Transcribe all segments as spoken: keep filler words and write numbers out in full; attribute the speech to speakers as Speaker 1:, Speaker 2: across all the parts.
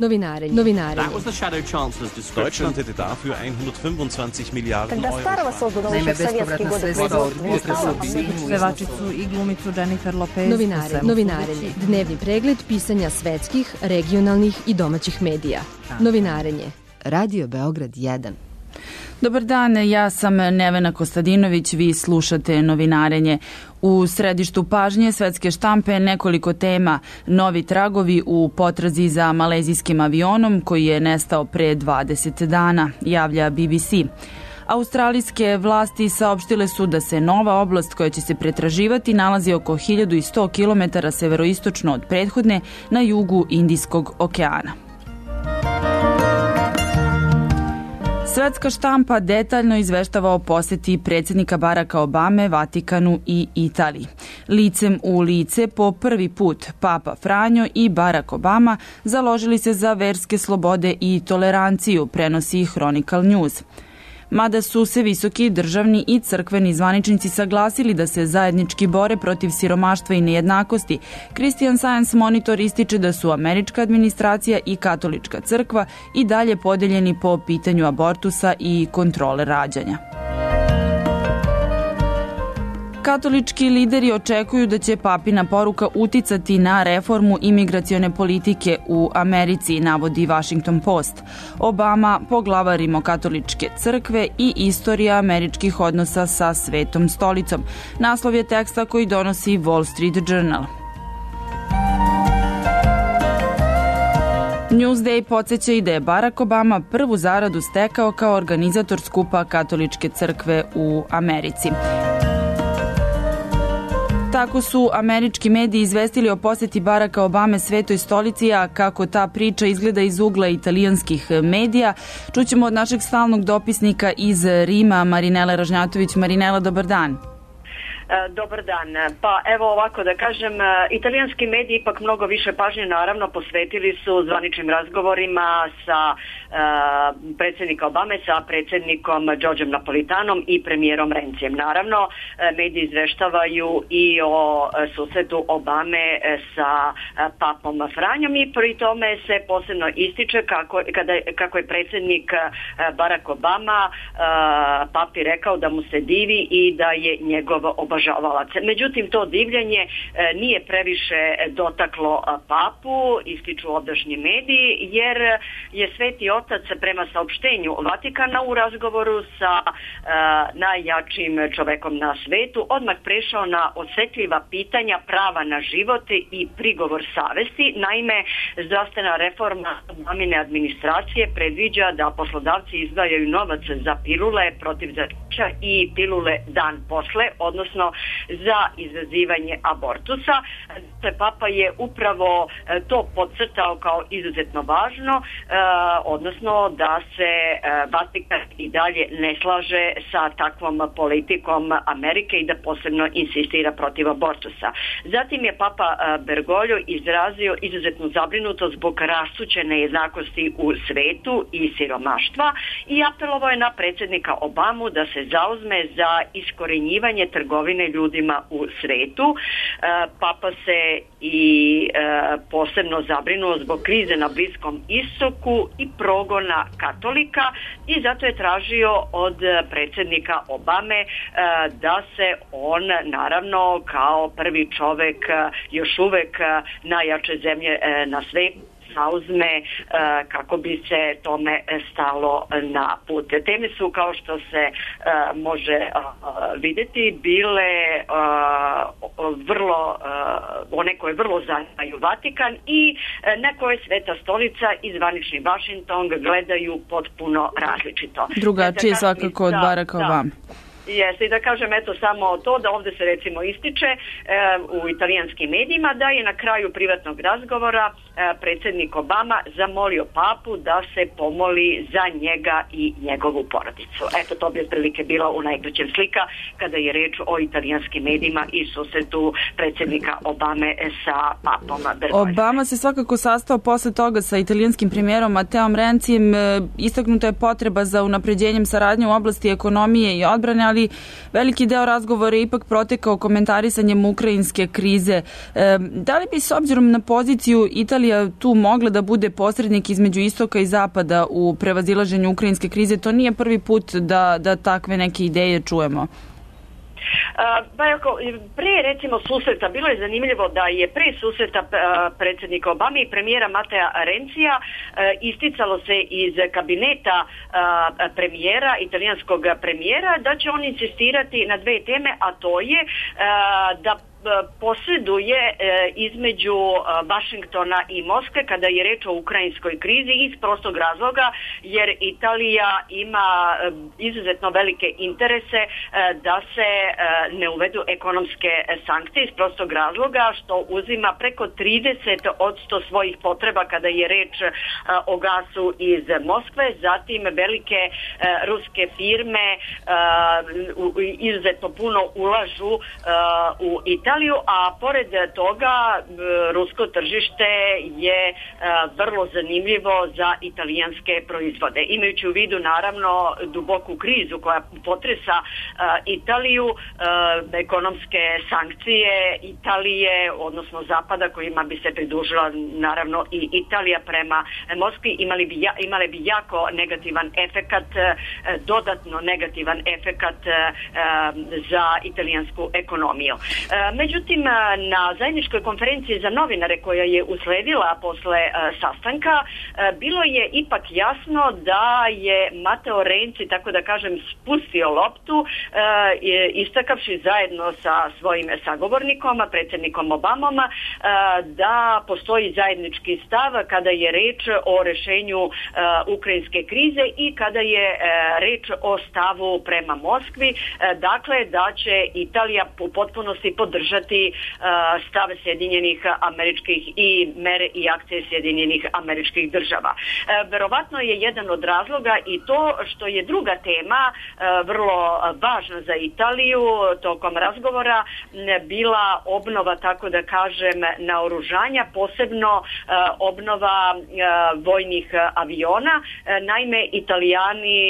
Speaker 1: Novinarenje. Novinarenje.
Speaker 2: Deutschland hätte dafür hundertfünfundzwanzig Milliarden Euro.
Speaker 3: Naime, bespovratna sredstva od potresa u Sinju.
Speaker 4: Pevačicu i glumicu Jennifer Lopez.
Speaker 1: Novinarenje. Novinarenje. Dnevni pregled pisanja svetskih, regionalnih i domaćih medija. Novinarenje. Radio Beograd jedan.
Speaker 5: Dobar dan, ja sam Nevena Kostadinović, vi slušate Novinarenje. U središtu pažnje svetske štampe nekoliko tema, novi tragovi u potrazi za malezijskim avionom koji je nestao pre dvadeset dana, javlja B B C. Australijske vlasti saopštile su da se nova oblast koja će se pretraživati nalazi oko hiljadu sto kilometara severoistočno od prethodne na jugu Indijskog okeana. Svetska štampa detaljno izveštava o poseti predsjednika Baracka Obame, Vatikanu i Italiji. Licem u lice po prvi put Papa Franjo i Barack Obama založili se za verske slobode i toleranciju, prenosi Chronicle News. Mada su se visoki državni i crkveni zvaničnici saglasili da se zajednički bore protiv siromaštva i nejednakosti, Christian Science Monitor ističe da su američka administracija i katolička crkva i dalje podeljeni po pitanju abortusa i kontrole rađanja. Katolički lideri očekuju da će papina poruka uticati na reformu imigracione politike u Americi, navodi Washington Post. Obama, poglavar rimokatoličke crkve i istorija američkih odnosa sa Svetom stolicom. Naslov je teksta koji donosi Wall Street Journal. Newsday podsjeća i da je Barack Obama prvu zaradu stekao kao organizator skupa Katoličke crkve u Americi. Tako su američki mediji izvestili o posjeti Baracka Obame Svetoj stolici, a kako ta priča izgleda iz ugla italijanskih medija, čućemo od našeg stalnog dopisnika iz Rima, Marinela Ražnjatović. Marinela, dobar dan.
Speaker 6: Dobar dan. Pa evo ovako da kažem, italijanski mediji ipak mnogo više pažnje naravno posvetili su zvaničnim razgovorima sa uh, predsjednika Obame, sa predsjednikom Đorđem Napolitanom i premijerom Rencijem. Naravno, mediji izveštavaju i o susretu Obame sa papom Franjom i pri tome se posebno ističe kako, kada, kako je predsjednik Barack Obama uh, papi rekao da mu se divi i da je njegov obožavalac. Međutim, to divljenje nije previše dotaklo papu, ističu ovdašnji mediji, jer je Sveti Otac prema saopštenju Vatikana u razgovoru sa najjačim čovekom na svetu odmah prešao na osjetljiva pitanja prava na život i prigovor savesti. Naime, zdravstvena reforma Obamine administracije predviđa da poslodavci izdvajaju novac za pilule protiv začeća i pilule dan posle, odnosno za izazivanje abortusa. Papa je upravo to podcrtao kao izuzetno važno, odnosno da se Vatikan i dalje ne slaže sa takvom politikom Amerike i da posebno insistira protiv abortusa. Zatim je Papa Bergoglio izrazio izuzetnu zabrinutost zbog rastuće nejednakosti u svetu i siromaštva i apelovao je na predsjednika Obamu da se zauzme za iskorenjivanje trgovine ljudima u svetu. Papa se i posebno zabrinuo zbog krize na Bliskom istoku i progona katolika i zato je tražio od predsjednika Obame da se on naravno kao prvi čovjek još uvek najjače zemlje na svetu zauzme kako bi se tome stalo na put. Teme su, kao što se može vidjeti, bile vrlo, one koje vrlo zanimaju Vatikan i na koje Sveta stolica i zvanični Washington gledaju potpuno različito.
Speaker 5: Drugačije svakako od Baracka Obama.
Speaker 6: Jeste, i da kažem eto samo to da ovdje se recimo ističe e, u italijanskim medijima da je na kraju privatnog razgovora e, predsjednik Obama zamolio papu da se pomoli za njega i njegovu porodicu. Eto, to bi otprilike bila u najkraćem slika kada je reč o italijanskim medijima i susretu predsjednika Obame sa papom Bergogliom.
Speaker 5: Obama se svakako sastao posle toga sa italijanskim premijerom Mateom Rencijem. Istaknuta je potreba za unapređenjem saradnje u oblasti ekonomije i odbrane, ali veliki deo razgovora je ipak protekao komentarisanjem ukrajinske krize. E, da li bi s obzirom na poziciju Italije Italija tu mogla da bude posrednik između istoka i zapada u prevazilaženju ukrajinske krize? To nije prvi put da, da takve neke ideje čujemo.
Speaker 6: Pa ako, pre recimo susreta, bilo je zanimljivo da je pre susreta predsjednika Obame i premijera Matea Rencija isticalo se iz kabineta premijera, italijanskog premijera, da će on insistirati na dve teme, a to je da posreduje između Vašingtona i Moskve kada je reč o ukrajinskoj krizi iz prostog razloga jer Italija ima izuzetno velike interese da se ne uvedu ekonomske sankcije iz prostog razloga što uzima preko trideset posto svojih potreba kada je reč o gasu iz Moskve, zatim velike ruske firme izuzetno puno ulažu u Italiju, a pored toga rusko tržište je vrlo zanimljivo za italijanske proizvode. Imajući u vidu naravno duboku krizu koja potresa Italiju, ekonomske sankcije Italije, odnosno Zapada kojima bi se pridružila naravno i Italija prema Moskvi, imali bi, imali bi jako negativan efekat, dodatno negativan efekat za italijansku ekonomiju. Međutim, na zajedničkoj konferenciji za novinare koja je usledila posle sastanka, bilo je ipak jasno da je Mateo Renzi, tako da kažem, spustio loptu, istakavši zajedno sa svojim sagovornikom, predsjednikom Obamom, da postoji zajednički stav kada je reč o rešenju ukrajinske krize i kada je reč o stavu prema Moskvi, dakle da će Italija u potpunosti podržati stav Sjedinjenih američkih i mere i akcije Sjedinjenih američkih država. Verovatno je jedan od razloga i to što je druga tema vrlo važna za Italiju tokom razgovora bila obnova, tako da kažem, naoružanja, posebno obnova vojnih aviona. Naime, Italijani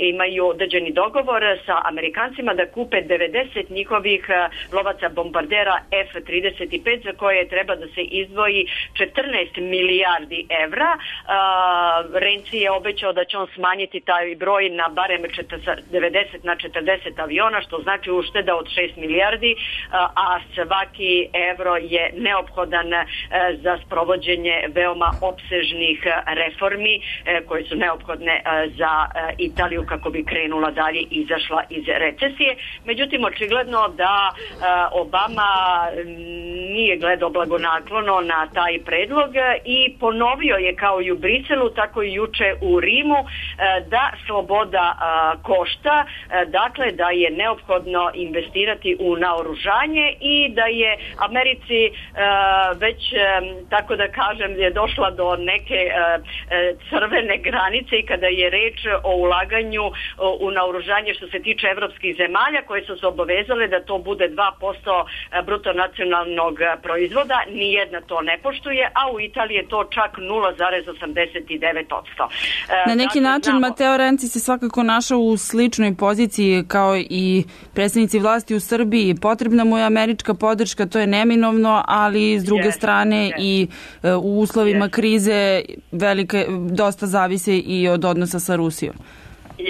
Speaker 6: imaju određeni dogovor sa Amerikancima da kupe devedeset njihovih lovaca bombardera F trideset pet za koje treba da se izdvoji četrnaest milijardi evra. Renzi je obećao da će on smanjiti taj broj na barem devedeset na četrdeset aviona, što znači ušteda od šest milijardi, a svaki evro je neophodan za sprovođenje veoma opsežnih reformi koje su neophodne za Italiju kako bi krenula dalje i izašla iz recesije. Međutim, očigledno da Obama nije gledao blagonaklono na taj predlog i ponovio je kao i u Briselu, tako i juče u Rimu da sloboda košta, dakle da je neophodno investirati u naoružanje i da je Americi već, tako da kažem, je došla do neke crvene granice i kada je reč o ulaganju u naoružanje što se tiče evropskih zemalja koje su se obavezale da to bude dva posto bruto nacionalnog proizvoda, nijedna to ne poštuje, a u Italiji je to čak nula zarez osamdeset devet posto.
Speaker 5: Na neki dakle, način znamo... Mateo Renzi se svakako našao u sličnoj poziciji kao i predstavnici vlasti u Srbiji. Potrebna mu je američka podrška, to je neminovno, ali s druge yes, strane yes. i u uslovima yes. krize velike, dosta zavise i od odnosa sa Rusijom.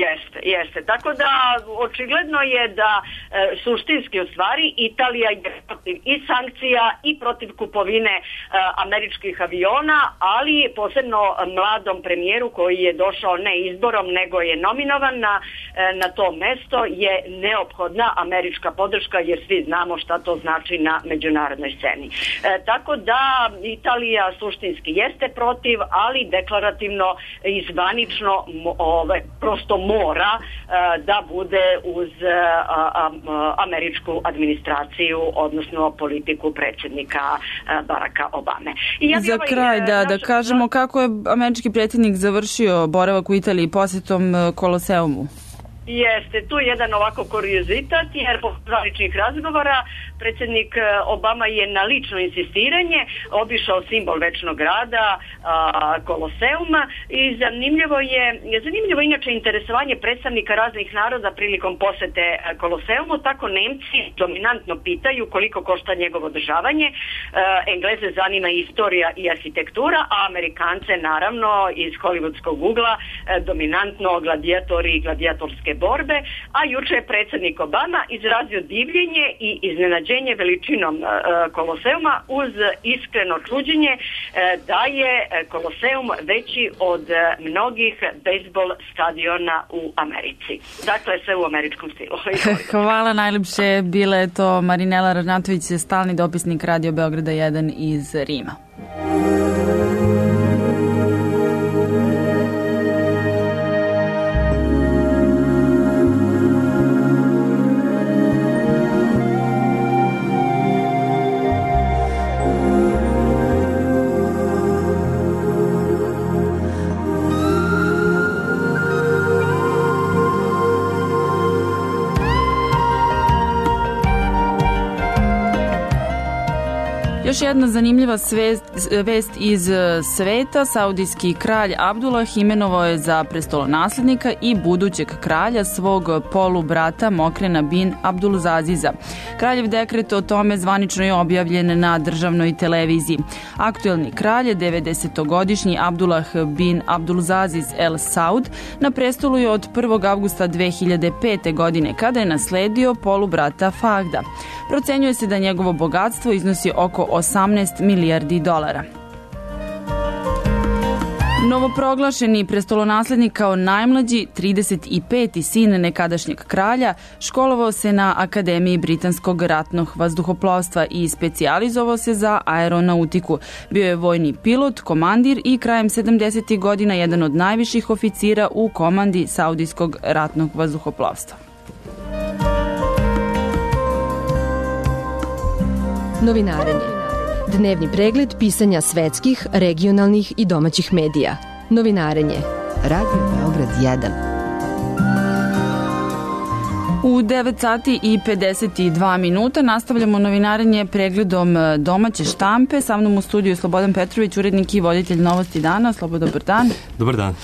Speaker 6: Jeste, jeste. Tako da očigledno je da e, suštinski u stvari Italija je protiv i sankcija i protiv kupovine e, američkih aviona, ali posebno mladom premijeru koji je došao ne izborom nego je nominovan na, e, na to mesto je neophodna američka podrška jer svi znamo šta to znači na međunarodnoj sceni. E, tako da Italija suštinski jeste protiv, ali deklarativno i zvanično ove, prosto mora uh, da bude uz uh, uh, američku administraciju, odnosno politiku predsjednika uh, Baracka Obame. I ja
Speaker 5: Za ovaj, kraj, da, naš... da kažemo kako je američki predsjednik završio boravak u Italiji posjetom Koloseumu.
Speaker 6: Jeste, tu je jedan ovako kuriozitet, jer po zvaničnih razgovora predsjednik Obama je na lično insistiranje obišao simbol večnog rada, Koloseuma, i zanimljivo je, zanimljivo inače interesovanje predstavnika raznih naroda prilikom posete Koloseumu. Tako Nemci dominantno pitaju koliko košta njegovo održavanje, Engleze zanima istorija i arhitektura, a Amerikance naravno iz hollywoodskog ugla dominantno gladijatori i gladijatorske borbe, a juče je predsjednik Obama izrazio divljenje i iznenađenje veličinom uh, Koloseuma uz iskreno čuđenje uh, da je Koloseum veći od uh, mnogih bejsbol stadiona u Americi. Dakle, sve u američkom stilu.
Speaker 5: Hvala najljepše. Bila je to Marinela Ražnatović, stalni dopisnik Radio Beograda jedan iz Rima. Još jedna zanimljiva svest, vest iz sveta. Saudijski kralj Abdullah imenovao je za prestolonaslednika i budućeg kralja svog polubrata Mokrena bin Abdulaziza. Kraljev dekret o tome zvanično je objavljen na državnoj televiziji. Aktuelni kralj je devedesetogodišnji Abdullah bin Abdulaziz El Saud. Na prestolu je od prvog avgusta dve hiljade pete. godine kada je nasledio polubrata Fahda. Procenjuje se da njegovo bogatstvo iznosi oko osamnaest milijardi dolara. Novoproglašeni prestolonaslednik kao najmlađi, trideset peti sin nekadašnjeg kralja, školovao se na Akademiji britanskog ratnog vazduhoplovstva i specijalizovao se za aeronautiku. Bio je vojni pilot, komandir i krajem sedamdesetih godina jedan od najviših oficira u komandi Saudijskog ratnog vazduhoplovstva.
Speaker 1: Novinarenje. Dnevni pregled pisanja svetskih, regionalnih i domaćih medija. Novinarenje. Radio Beograd jedan.
Speaker 5: U devet sati i pedeset dva minuta nastavljamo novinarenje pregledom domaće štampe. Sa mnom u studiju Slobodan Petrović, urednik i voditelj Novosti dana. Slobo, dobar dan.
Speaker 7: Dobar dan.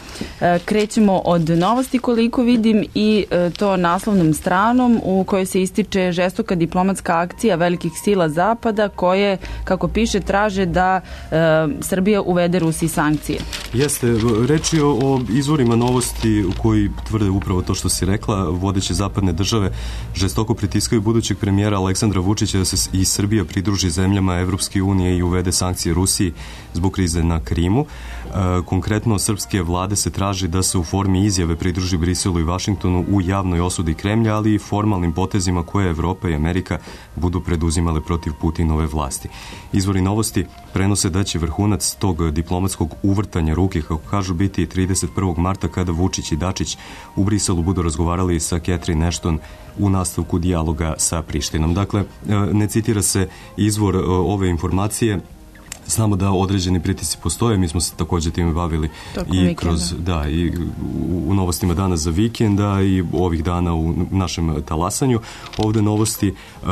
Speaker 5: Krećemo od novosti, koliko vidim, i to naslovnom stranom u kojoj se ističe žestoka diplomatska akcija velikih sila Zapada koje, kako piše, traže da e, Srbija uvede Rusiji sankcije.
Speaker 7: Jeste, reč je o izvorima novosti koji tvrde upravo to što si rekla. Vodeće zapadne države žestoko pritiskaju budućeg premijera Aleksandra Vučića da se i Srbija pridruži zemljama Evropske unije i uvede sankcije Rusiji zbog krize na Krimu. E, konkretno, srpske vlade se traži da se u formi izjave pridruži Briselu i Vašingtonu u javnoj osudi Kremlja, ali i formalnim potezima koje Evropa i Amerika budu preduzimale protiv Putinove vlasti. Izvori novosti prenose da će vrhunac tog diplomatskog uvrtanja ruke, kako kažu, biti trideset prvog marta kada Vučić i Dačić u Briselu budu razgovarali sa Catherine Ashton u nastavku dijaloga sa Prištinom. Dakle, ne citira se izvor ove informacije. Znamo da određeni pritisci postoje, mi smo se također time bavili
Speaker 5: Tokom
Speaker 7: i
Speaker 5: vikenda.
Speaker 7: kroz, da, i u novostima danas za vikenda i ovih dana u našem talasanju. Ovde novosti uh,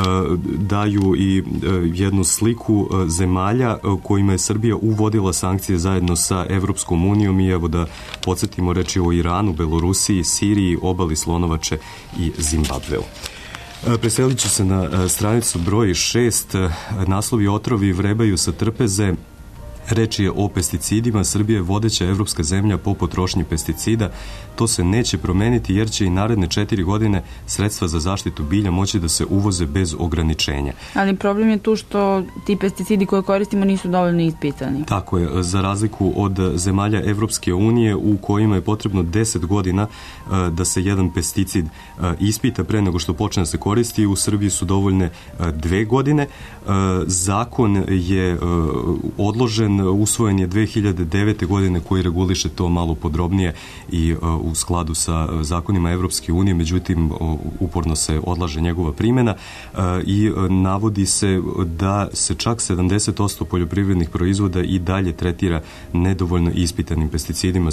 Speaker 7: daju i uh, jednu sliku uh, zemalja uh, kojima je Srbija uvodila sankcije zajedno sa Evropskom unijom i evo da podsjetimo, reči o Iranu, Belorusiji, Siriji, obali Slonovače i Zimbabveu. Preselit ću se na stranicu broj šest. Naslovi otrovi vrebaju sa trpeze. Reč je o pesticidima. Srbija je vodeća evropska zemlja po potrošnji pesticida. To se neće promeniti jer će i naredne četiri godine sredstva za zaštitu bilja moći da se uvoze bez ograničenja.
Speaker 5: Ali problem je tu što ti pesticidi koje koristimo nisu dovoljno ispitani.
Speaker 7: Tako je, za razliku od zemalja Evropske unije u kojima je potrebno deset godina da se jedan pesticid ispita pre nego što počne da se koristi, u Srbiji su dovoljne dve godine. Zakon je odložen, usvojen je dve hiljade devete. godine koji reguliše to malo podrobnije i u skladu sa zakonima Evropske unije, međutim uporno se odlaže njegova primjena i navodi se da se čak sedamdeset posto poljoprivrednih proizvoda i dalje tretira nedovoljno ispitanim pesticidima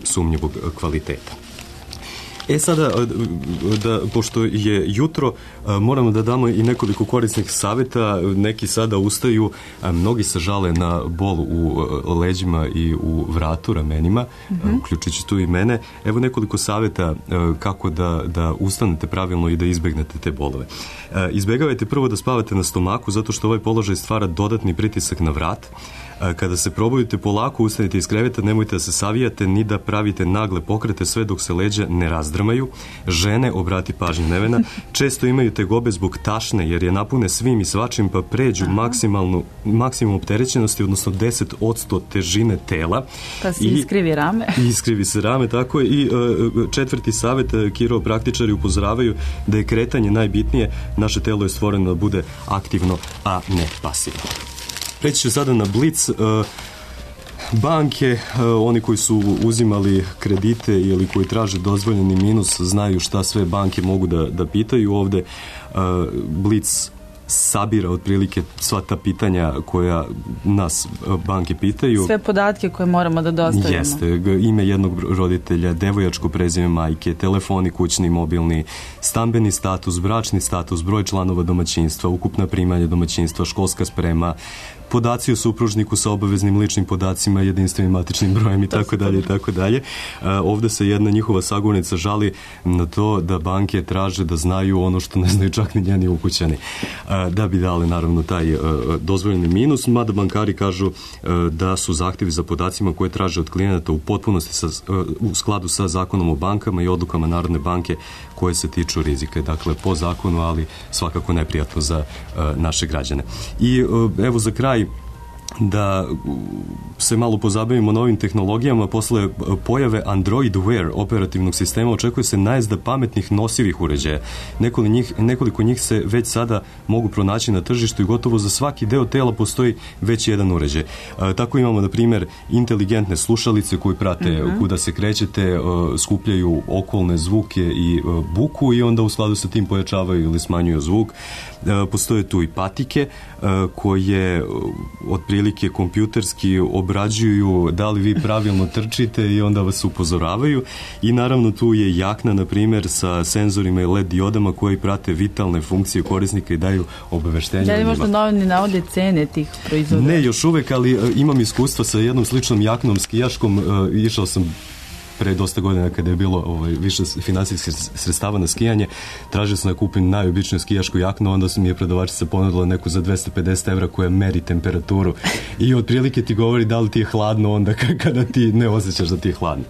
Speaker 7: sumnjivog kvaliteta. E sada, da, pošto je jutro, moramo da damo i nekoliko korisnih savjeta. Neki sada ustaju, mnogi se žale na bol u leđima i u vratu, ramenima, mm-hmm. uključujući tu i mene. Evo nekoliko savjeta kako da, da ustanete pravilno i da izbegnete te bolove. Izbegavajte prvo da spavate na stomaku, zato što ovaj položaj stvara dodatni pritisak na vrat. Kada se probudite, polako ustanite iz kreveta, nemojte da se savijate ni da pravite nagle pokrete sve dok se leđa ne razdrmaju. Žene, obrati pažnju Nevena, često imaju tegobe zbog tašne jer je napune svim i svačim pa pređu maksimalnu, maksimum opterećenosti, odnosno deset posto težine tela.
Speaker 5: Pa se iskrivi rame.
Speaker 7: Iskrivi se rame, tako je. I uh, četvrti savjet, kiropraktičari upozoravaju da je kretanje najbitnije. Naše telo je stvoreno da bude aktivno, a ne pasivno. Preći ću sada na Blic. Banke, oni koji su uzimali kredite ili koji traže dozvoljeni minus, znaju šta sve banke mogu da, da pitaju ovde. Blic sabira otprilike sva ta pitanja koja nas banke pitaju.
Speaker 5: Sve podatke koje moramo da dostavimo.
Speaker 7: Jeste, ime jednog roditelja, devojačko prezime majke, telefoni kućni, mobilni, stambeni status, bračni status, broj članova domaćinstva, ukupna primanja domaćinstva, školska sprema, podaci o supružniku sa obaveznim ličnim podacima, jedinstvenim matičnim brojem i tako dalje i tako dalje. Ovde se jedna njihova sagovornica žali na to da banke traže da znaju ono što ne znaju čak ni njeni ukućani. Da bi dali naravno taj dozvoljeni minus, mada bankari kažu da su zahtjevi za podacima koje traže od klijenata u potpunosti sa, u skladu sa zakonom o bankama i odlukama Narodne banke koje se tiču rizika. Dakle, po zakonu, ali svakako neprijatno za naše građane. I evo za kraj da se malo pozabavimo novim tehnologijama. Posle pojave Android Wear operativnog sistema očekuje se najezda pametnih nosivih uređaja. Nekoliko njih, nekoliko njih se već sada mogu pronaći na tržištu i gotovo za svaki deo tela postoji već jedan uređaj. A, tako imamo, na primjer, inteligentne slušalice koji prate mm-hmm. kuda se krećete, a, skupljaju okolne zvuke i a, buku i onda u skladu sa tim pojačavaju ili smanjuju zvuk. A, postoje tu i patike a, koje otprilike kompjuterski obrađuju da li vi pravilno trčite i onda vas upozoravaju. I naravno tu je jakna, na primjer, sa senzorima i L E D diodama koji prate vitalne funkcije korisnika i daju obaveštenja.
Speaker 5: Da li možda novini navode cene tih proizvoda?
Speaker 7: Ne, još uvek, ali uh, imam iskustva sa jednom sličnom jaknom skijaškom. Uh, išao sam pre dosta godina kada je bilo ovaj, više finansijskih sredstava na skijanje, tražio sam da kupim najobičniju skijašku jaknu, onda su mi je prodavačica ponudila neku za dvesta pedeset evra koja meri temperaturu i otprilike ti govori da li ti je hladno onda kada ti ne osjećaš da ti je hladno.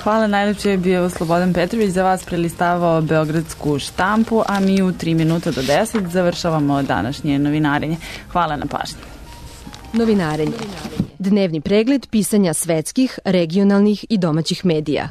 Speaker 5: Hvala, najlepše je bio Slobodan Petrović, za vas prelistavao Beogradsku štampu, a mi u tri minuta do deset završavamo današnje novinarenje. Hvala na pažnji.
Speaker 1: Novinarenje. Dnevni pregled pisanja svetskih, regionalnih i domaćih medija.